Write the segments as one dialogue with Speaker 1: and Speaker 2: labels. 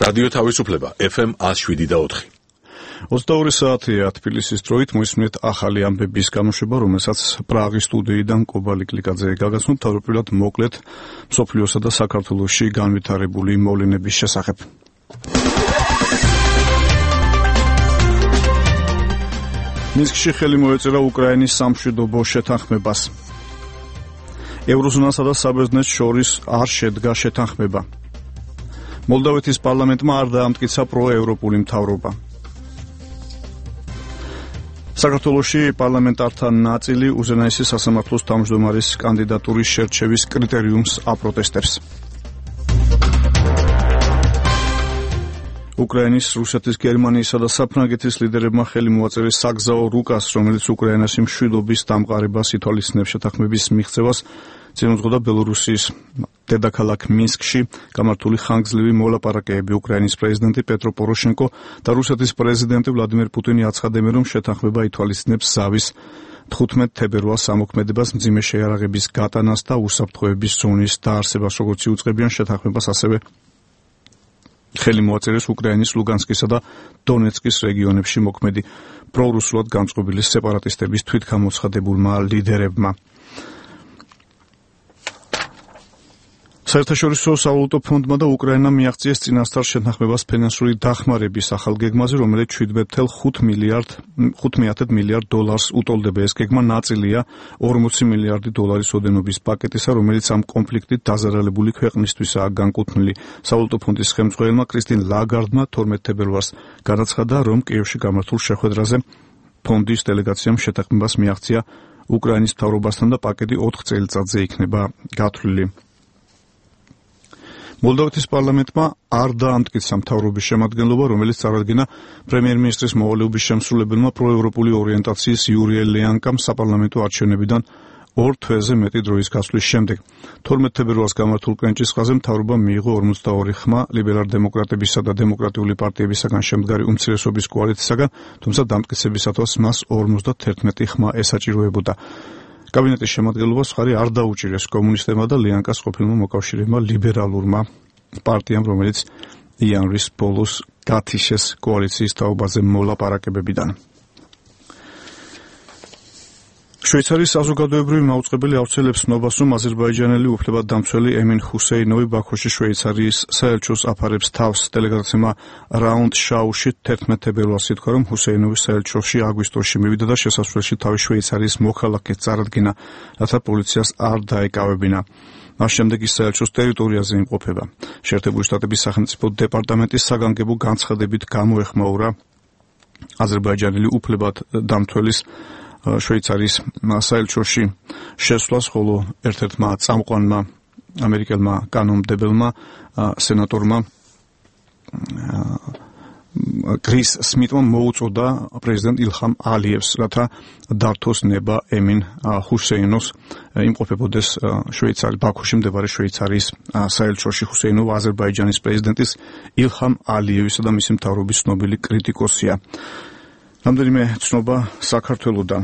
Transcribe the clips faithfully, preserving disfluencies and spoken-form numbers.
Speaker 1: რადიო თავისუფლება ეფ ემ one oh seven და four.
Speaker 2: ოცდაორი საათია თბილისის დროით მოისმენთ ახალი ამბების გამოშვება, რომელსაც პრაღის სტუდიიდან კობალი კლიკაძე გაგაცნობ თავდაპირველად მოკლედ მსოფლიოსა და საქართველოში განვითარებული მოვლენების შესახებ. მინსკში ხელი მოეწერა უკრაინის სამშვიდობო შეთანხმებას. ევროზონასა და საბერძნეთს შორის არ შედგა შეთანხმება. მოლდოვეთის პარლამენტმა არ დაამტკიცა პროევროპული მთავრობა. საქართველოში პარლამენტართა ნაწილი უზენაესი სასამართლოს თავმჯდომარის კანდიდატურის შერჩევის კრიტერიუმს აპროტესტებს. უკრაინის, რუსეთის, გერმანიისა და საფრანგეთის ლიდერებმა ხელი მოაწერეს საგზაო რუკას, რომელიც უკრაინაში მშვიდობის დამყარებას ითვალისწინებს შეთანხმების მიღწევას. წინ უძღოდა ბელორუსიის დედაქალაქ მინსკში გამართული ხანგრძლივი მოლაპარაკებები. უკრაინის პრეზიდენტი პეტრო პოროშენკო და რუსეთის პრეზიდენტი ვლადიმერ პუტინი აცხადებენ, რომ შეთანხმება ითვალისწინებს ზავის თხუთმეტ თებერვალს ამოქმედებას, მძიმე შეიარაღების გატანას და უსაფრთხოების ზონის დაარსებას, როგორც იუწყებიან შეთანხმებას, ასევე ხელი მოაწერეს უკრაინის ლუგანსკისა და დონეცკის რეგიონებში მოქმედი პრორუსულად განწყობილი სეპარატისტების თვითგამოცხადებულმა ლიდერებმა. საერთაშორისო სავალუტო ფონდმა და უკრაინამ მიაღწიეს წინასწარ შეთანხმებას ფინანსური დახმარების ახალ გეგმაზე, რომელიც შვიდმეტ მილიარდ დოლარს უტოლდება. ეს გეგმა ნაწილია ორმოცი მილიარდი დოლარის ოდენობის პაკეტისა, რომელიც ამ კონფლიქტით დაზარალებული ქვეყნისთვისაა განკუთვნილი. სავალუტო ფონდის ხელმძღვანელმა კრისტინ ლაგარდმა თორმეტ თებერვალს განაცხადა, რომ კიევში გამართულ შეხვედრაზე ფონდის დელეგაციამ შეთანხმებას მიაღწია უკრაინის მთავრობასთან და პაკეტი ოთხ წელიწადზე იქნება გათვლილი. მოლდოვეთის პარლამენტმა არ დაამტკიცა მთავრობის შემადგენლობა, რომელიც წარადგინა პრემიერ-მინისტრის მოვალეობის შემსრულებელმა პროევროპული ორიენტაციის იური ელიანკამ საპარლამენტო არჩევნებიდან ორ თვეზე მეტი დროის გასვლის შემდეგ. თორმეტ თებერვალს გამართულ კენჭისყრაზე მთავრობამ მიიღო ორმოცდაორი ხმა ლიბერალ-დემოკრატებისა და დემოკრატიული პარტიებისაგან შემდგარი უმცირესობის კოალიციისაგან, თუმცა დამტკიცებისათვის მას ორმოცდაათერთმეტი ხმა ესაჭიროებოდა. კაბინეტის შემადგენლობას მხარი არ დაუჭირეს კომუნისტებმა და ლიანკას ყოფილმა მოკავშირეებმა ლიბერალურმა პარტიამ, რომელიც იანვრის ბოლოს გათიშეს კოალიციის თაობაზე მოლაპარაკებებიდან. შვეიცარიის საზოგადოებრივი მაუწყებელი ავრცელებს ცნობას, რომ აზერბაიჯანელი უფლებადდამცველი ემინ ჰუსეინოვი ბაქოში შვეიცარიის საელჩოს აფარებს თავს. დელეგაციმა რაუნდ შაუში თერთმეტ თებერვალს ითქვა, რომ ჰუსეინოვი საელჩოში აგვისტოში მივიდა და შესასვლელში თავი შვეიცარიის მოქალაქედ წარადგინა, რათა პოლიციას არ დაეკავებინა. მას შემდეგ ის საელჩოს ტერიტორიაზე იმყოფება. შეერთებული შტატების სახელმწიფო დეპარტამენტის საგანგებო განცხადებით გამოეხმაურა აზერბაიჯანელი უფლებადდამცველის შვეიცარიის საელჩოში შესვლას, ხოლო ერთ-ერთმა წამყვანმა ამერიკელმა კანონმდებელმა სენატორმა კრის სმიტმა მოუწოდა პრეზიდენტ ილჰამ ალიევს, რათა დართოს ნება ემინ ჰუსეინოს იმყოფებოდეს შვეიცარიის ბაქოში მდებარე შვეიცარიის საელჩოში. ჰუსეინოვი აზერბაიჯანის პრეზიდენტის ილჰამ ალიევისა და მისი მთავრობის ცნობილი კრიტიკოსია. რამდენიმე ცნობა საქართველოდან.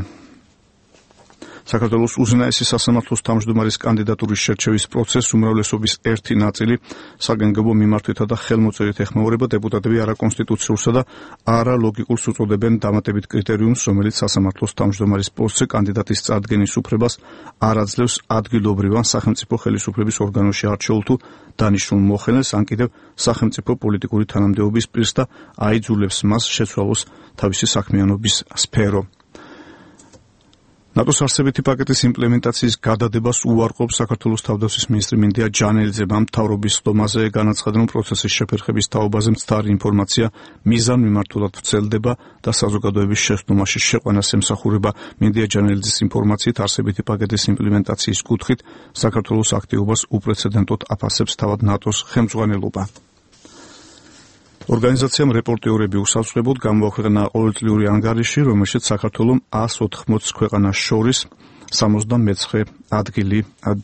Speaker 2: საქართველოს უზენაესი სასამართლოს თავმჯდომარის კანდიდატურის შერჩევის პროცესს უმრავლესობის ერთი ნაწილი საგანგებო მიმართვითა და ხელმოწერით ეხმაურება. დეპუტატები არაკონსტიტუციურსა და არალოგიკურს უწოდებენ დამატებით კრიტერიუმს, რომელიც სასამართლოს თავმჯდომარის პოსტზე კანდიდატის წარდგენის უფლებას არ აძლევს ადგილობრივ ან სახელმწიფო ხელისუფლების ორგანოში არჩეულ თუ დანიშნულ მოხელეს, ან კიდევ სახელმწიფო პოლიტიკური თანამდებობის პირს და აიძულებს მას შეცვალოს თავისი საქმიანობის სფერო. ნატოს არსებითი პაკეტის იმპლემენტაციის გადადებას უარყოფს საქართველოს თავდაცვის მინისტრი მინდია ჯანელიძემ. მთავრობის ხდომაზე განაცხადა, რომ პროცესის შეფერხების თაობაზე მცდარი ინფორმაცია მიზანმიმართულად ვრცელდება და საზოგადოების შეცდომაში შეყვანას ემსახურება. მინდია ჯანელიძის ინფორმაციით არსებითი პაკეტის იმპლემენტაციის კუთხით საქართველოს აქტივობას უპრეცედენტოდ აფასებს თავად ნატოს ხელმძღვანელობა. ორგანიზაციამ რეპორტიორები უსაფრთხოებოდ გამოაქვეყნა ყოველწლიური ანგარიში, რომელშიც საქართველომ ას ოთხმოცი ქვეყანას შორის სამოცდამეცხრე ადგილი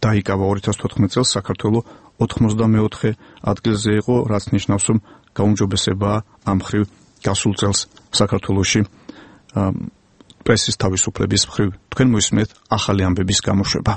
Speaker 2: დაიკავა. ორი ათას თოთხმეტ წელს საქართველო ოთხმოცდამეოთხე ადგილზე იყო, რაც ნიშნავს, რომ გაუმჯობესებაა ამ მხრივ გასულ წელს საქართველოში პრესის თავისუფლების მხრივ. თქვენ მოისმენთ ახალი ამბების გამოშვება.